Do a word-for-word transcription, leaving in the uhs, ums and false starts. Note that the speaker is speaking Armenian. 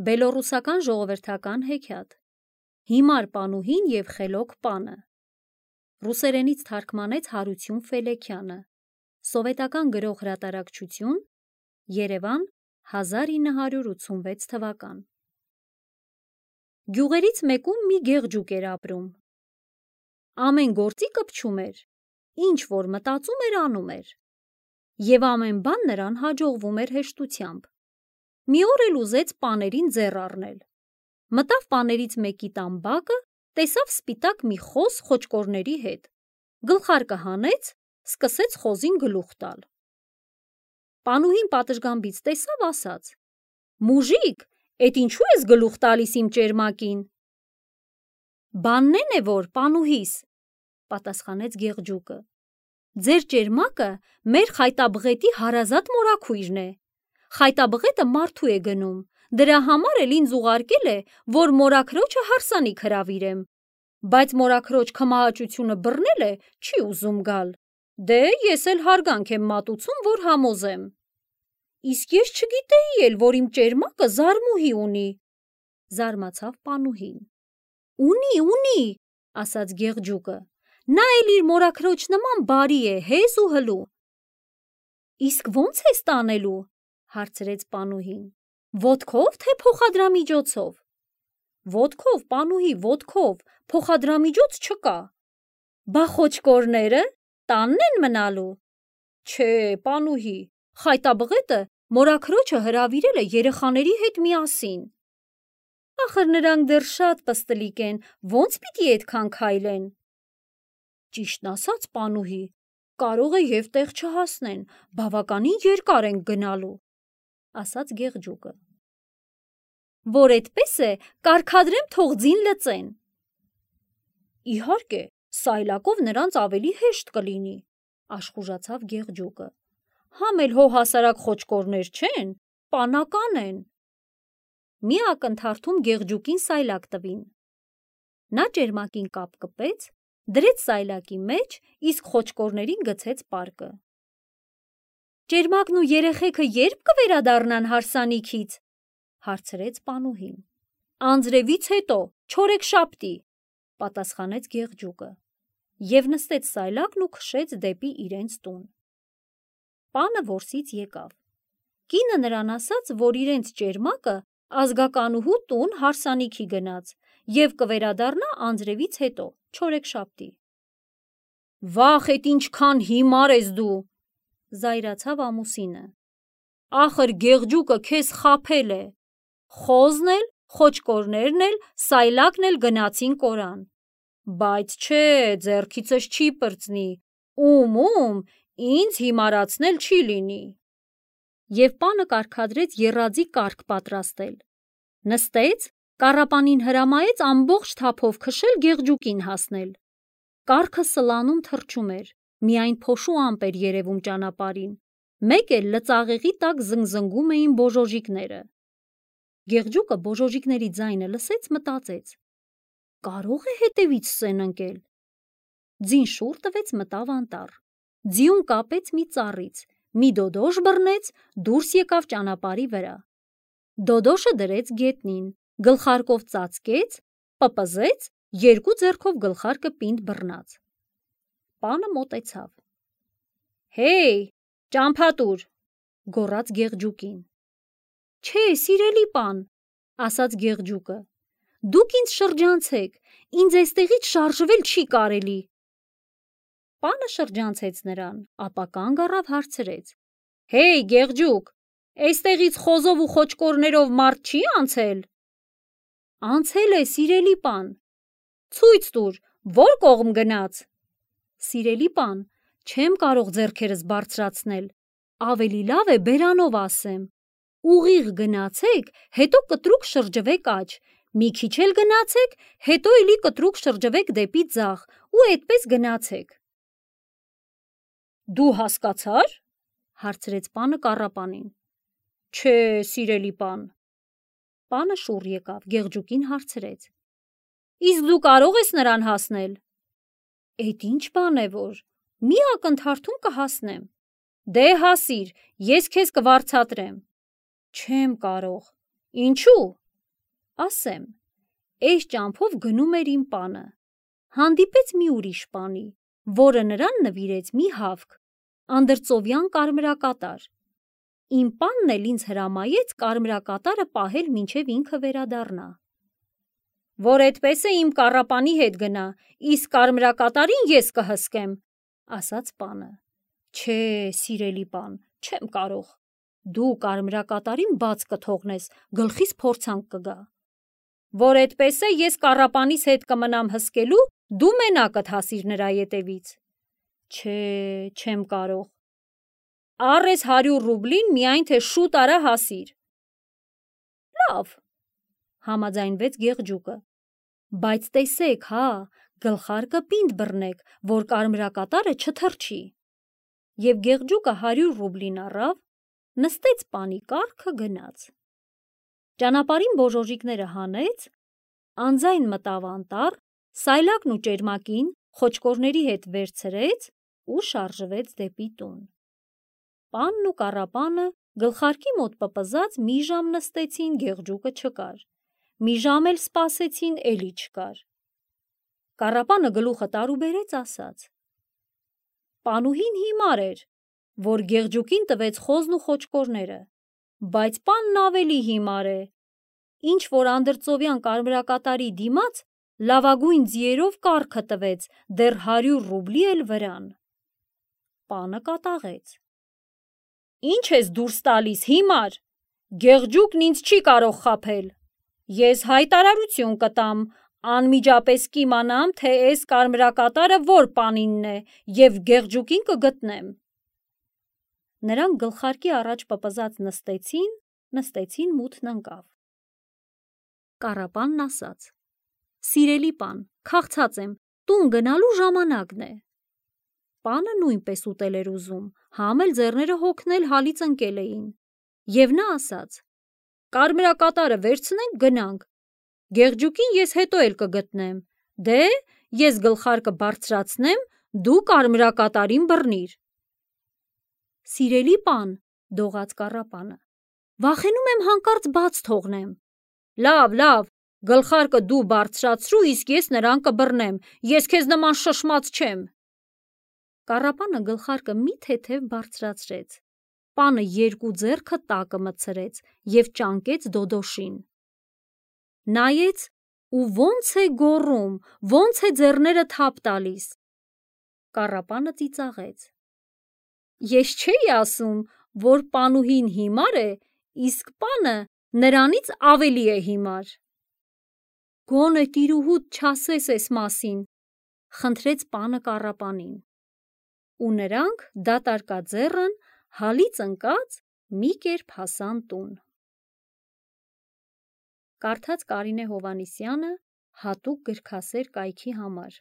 Բելոռուսական ժողովրդական հեքիաթ Հիմար պանուհին և խելոք պանը Ռուսերենից թարգմանեց Հարություն Ֆելեքյանը Սովետական գրող հրատարակչություն Երևան հազար ինը հարյուր ութսունվեց թվական Գյուղերից մեկում մի գեղջուկ էր ապրում Ամեն գործի կպչում էր Ինչ որ մտածում էր անում էր Եվ ամեն բան նրան հաջողվում էր հեշտությամբ Մի օր էլ ուզեց պաներին ձեռ առնել Մտավ պաներից մեկի տան բակը Տեսավ սպիտակ մի խոզ խոճկորների հետ Գլխարկը հանեց Սկսեց խոզին գլուխ տալ Պանուհին պատշգամբից տեսավ ասաց Մուժիկ, էդ ինչու ես գլուխ տալիս իմ ճերմակին Բանն են է որ պանուհիս Պատասխանեց գեղջուկը Ձեր ճերմակը մեր խայտաբղետի հարազատ մորաքույրն է Խայտաբղետը մարդու է գնում Դրա համար էլ ինձ ուղարկել է Որ մորաքրոջը հարսանիք հրավիրեմ Բայց մորաքրոջ քմահաճությունը բռնել է Չի ուզում գալ Դե ես էլ հարգանք եմ մատուցում որ համոզեմ Իսկ ես չգիտեի էլ որ իմ ճերմակը զարմուհի ունի Զարմացավ պանուհին Ունի, ունի ասաց գեղջուկը Նա էլ իր մորաքրոջ նման բարի է հեզ ու հլու Իսկ ո՞նց ես տանելու Հարցրեց պանուհին Ոտքով թե փոխադրամիջոցով Ոտքով պանուհի ոտքով Փոխադրամիջոց չկա Բա խոճկորները տանն են մնալու Չէ պանուհի Խայտաբղետը մորաքրոջը հրավիրել է երեխաների հետ միասին Ախր նրանք դեռ շատ պստլիկ են Ոնց պիտի էդքան քայլեն Ճիշտն ասած պանուհի Կարող է և տեղ չհասնեն Բավականին երկար ենք գնալու Ասաց գեղջուկը Որ էդպես է կարգադրեմ թող ձին լծեն Իհարկե սայլակով նրանց ավելի հեշտ կլինի Աշխուժացավ գեղջուկը Համ էլ հո հասարակ խոճկորներ չեն Պանական են Մի ակնթարթում գեղջուկին սայլակ տվին Նա ճերմակին կապ կպեց Դրեց սայլակի մեջ Իսկ խոճկորներին գցեց պարկը Ճերմակն ու երեխեքը երբ կվերադառնան հարսանիքից Հարցրեց պանուհին Անձրևից հետո չորեքշաբթի Պատասխանեց գեղջուկը Եվ նստեց սայլակն ու քշեց դեպի իրենց տուն Պանը որսից եկավ Կինը նրան ասաց որ իրենց ճերմակը Ազգականուհու տուն հարսանիքի գնաց Եվ կվերադառնա անձրևից հետո չորեքշաբթի Վախ էդ ինչքան հիմար ես դու Զայրացավ ամուսինը Ախր գեղջուկը քեզ խաբել է Խոզն էլ, խոճկորներն էլ, սայլակն էլ գնացին կորան Բայց չէ ձեռքիցս չի պրծնի Ում ում ինձ հիմարացնել չի լինի Եվ պանը կարգադրեց եռաձի կառք պատրաստել Նստեց, կառապանին հրամայեց ամբողջ թափով քշել գեղջուկին հասնել Կառքը սլանում թռչում էր Միայն փոշու ամպ էր երևում ճանապարհին Մեկ էլ լծաղեղի տակ զնգզնգում էին բոժոժիկները Գեղջուկը բոժոժիկների ձայնը լսեց մտածեց Կարո՞ղ է հետևից սեն ընկել Ձին շուռ տվեց մտավ անտառ Ձիուն կապեց մի ծառից Մի դոդոշ բռնեց Դուրս եկավ ճանապարհի վրա Դոդոշը դրեց գետնին Գլխարկով ծածկեց Պպզեց Երկու ձեռքով գլխարկը պինդ բռնած Պանը մոտեցավ Հեյ ճամփատուր Գոռաց գեղջուկին Չէ սիրելի պան Ասաց գեղջուկը Դուք ինձ շրջանցեք Ինձ էստեղից շարժվել չի կարելի Պանը շրջանցեց նրան Ապա կանգ առավ հարցրեց Հեյ գեղջուկ Էստեղից խոզով ու խոճկորներով մարդ չի անցել Անցել է սիրելի պան Ցույց տուր Որ կողմ գնաց Սիրելի պան Չեմ կարող ձեռքերս բարձրացնել Ավելի լավ է բերանով ասեմ Ուղիղ գնացեք Հետո կտրուկ շրջվեք աջ Մի քիչ էլ գնացեք Հետո էլի կտրուկ շրջվեք դեպի ձախ Ու էդպես գնացեք Դու հասկացա՞ր Հարցրեց պանը կառապանին Չէ սիրելի պան Պանը շուռ եկավ Գեղջուկին հարցրեց Իսկ դու կարող ես նրան հասնել Էդ ինչ բան է որ Մի ակնթարթում կհասնեմ Դե հասիր Ես քեզ կվարձատրեմ Չեմ կարող Ինչու ասեմ, էս ճամփով գնում էր իմ պանը, հանդիպեց մի ուրիշ պանի, որը նրան նվիրեց մի հավք, անդրծովյան կարմրակատար, իմ պանն էլ ինձ հրամայեց կարմրակատարը պահել մինչև ինքը վերադառնա, որ այդպես է իմ կառապանի հետ գնա, իսկ կարմրակատարին ես կհսկեմ, ասաց պանը, չէ, սիրելի պան, չեմ կարող, դու կարմրակատարին բաց կթողնես, գլխիս փորձանք կգա, որ այդպես է ես կառապանիս հետ կմնամ հսկելու, դու մենակդ հասիր նրա ետևից, չէ, չեմ կարող, առ ես հարյուր ռուբլին միայն թե շուտ արա հասիր, լավ, համաձայնվեց Գեղջուկը, բայց տեսեք, հա, գլխարկը պինդ բռնեք, որ կարմրակատարը չթռչի, և Գեղջուկը հարյուր ռուբլին առավ, նստեց պանի կառքը գնաց, ճանապարհին բոժոժիկները հանեց, անձայն մտավ անտառ, սայլակն ու ճերմակին խոճկորների հետ վերցրեց ու շարժվեց դեպի տուն, պանն ու կառապանը գլխարկի մոտ պպզած մի ժամ նստեցին, Գեղջուկը չկար, մի ժամ էլ սպասեցին, էլի չկար, կառապանը գլուխը տարուբերեց, ասաց, պանուհին հիմար էր, որ Գեղջուկին տվեց խոզն ու խոճկորները, բայց պանն ավելի հիմար է, ինչ որ անդրծովյան կարմրակատարի դիմաց լավագույն ձիերով կառքը տվեց, դեռ հարյուր ռուբլի էլ վրան, պանը կատաղեց, ինչ ես դուրս տալիս, հիմար, Գեղջուկն ինձ չի կարող խաբել, ես հայտարարություն կտամ, անմիջապես կիմանամ, թե էս կարմրակատարը որ պանինն է և Գեղջուկին կգտնեմ, նրանք գլխարկի առաջ պպզած նստեցին, նստեցին մութն ընկավ, կառապանն ասաց, սիրելի պան, քաղցած եմ, տուն գնալու ժամանակն է, պանը նույնպես ուտել էր ուզում, համ էլ ձեռները հոգնել հալից ընկել էին, և նա ասաց, կարմրակատարը վերցնենք գնանք, Գեղջուկին ես հետո էլ կգտնեմ, դե, ես գլխարկը բարձրացնեմ, դու կարմրակատարին բռնիր, սիրելի պան, դողաց կառապանը, վախենում եմ հանկարծ բաց թողնեմ, լավ, լավ, գլխարկը դու բարձրացրու, իսկ ես նրան կբռնեմ, ես քեզ նման շշմած չեմ, կառապանը գլխարկը մի թեթև բարձրացրեց, պանը երկու ձեռքը տակը մտցրեց և ճանկեց դոդոշին, նայեց ու ոնց է գոռում, ոնց է ձեռները թափ տալիս, կառապանը ծիծաղեց, ես չէի ասում, որ պանուհին հիմար է, իսկ պանը նրանից ավելի է հիմար, գոնե տիրուհուդ չասես էս մասին, խնդրեց պանը կառապանին, ու նրանք դատարկաձեռն հալից ընկած մի կերպ հասան տուն, կարդաց Կարինե Հովհաննիսյանը հատուկ գրքասեր կայքի համար։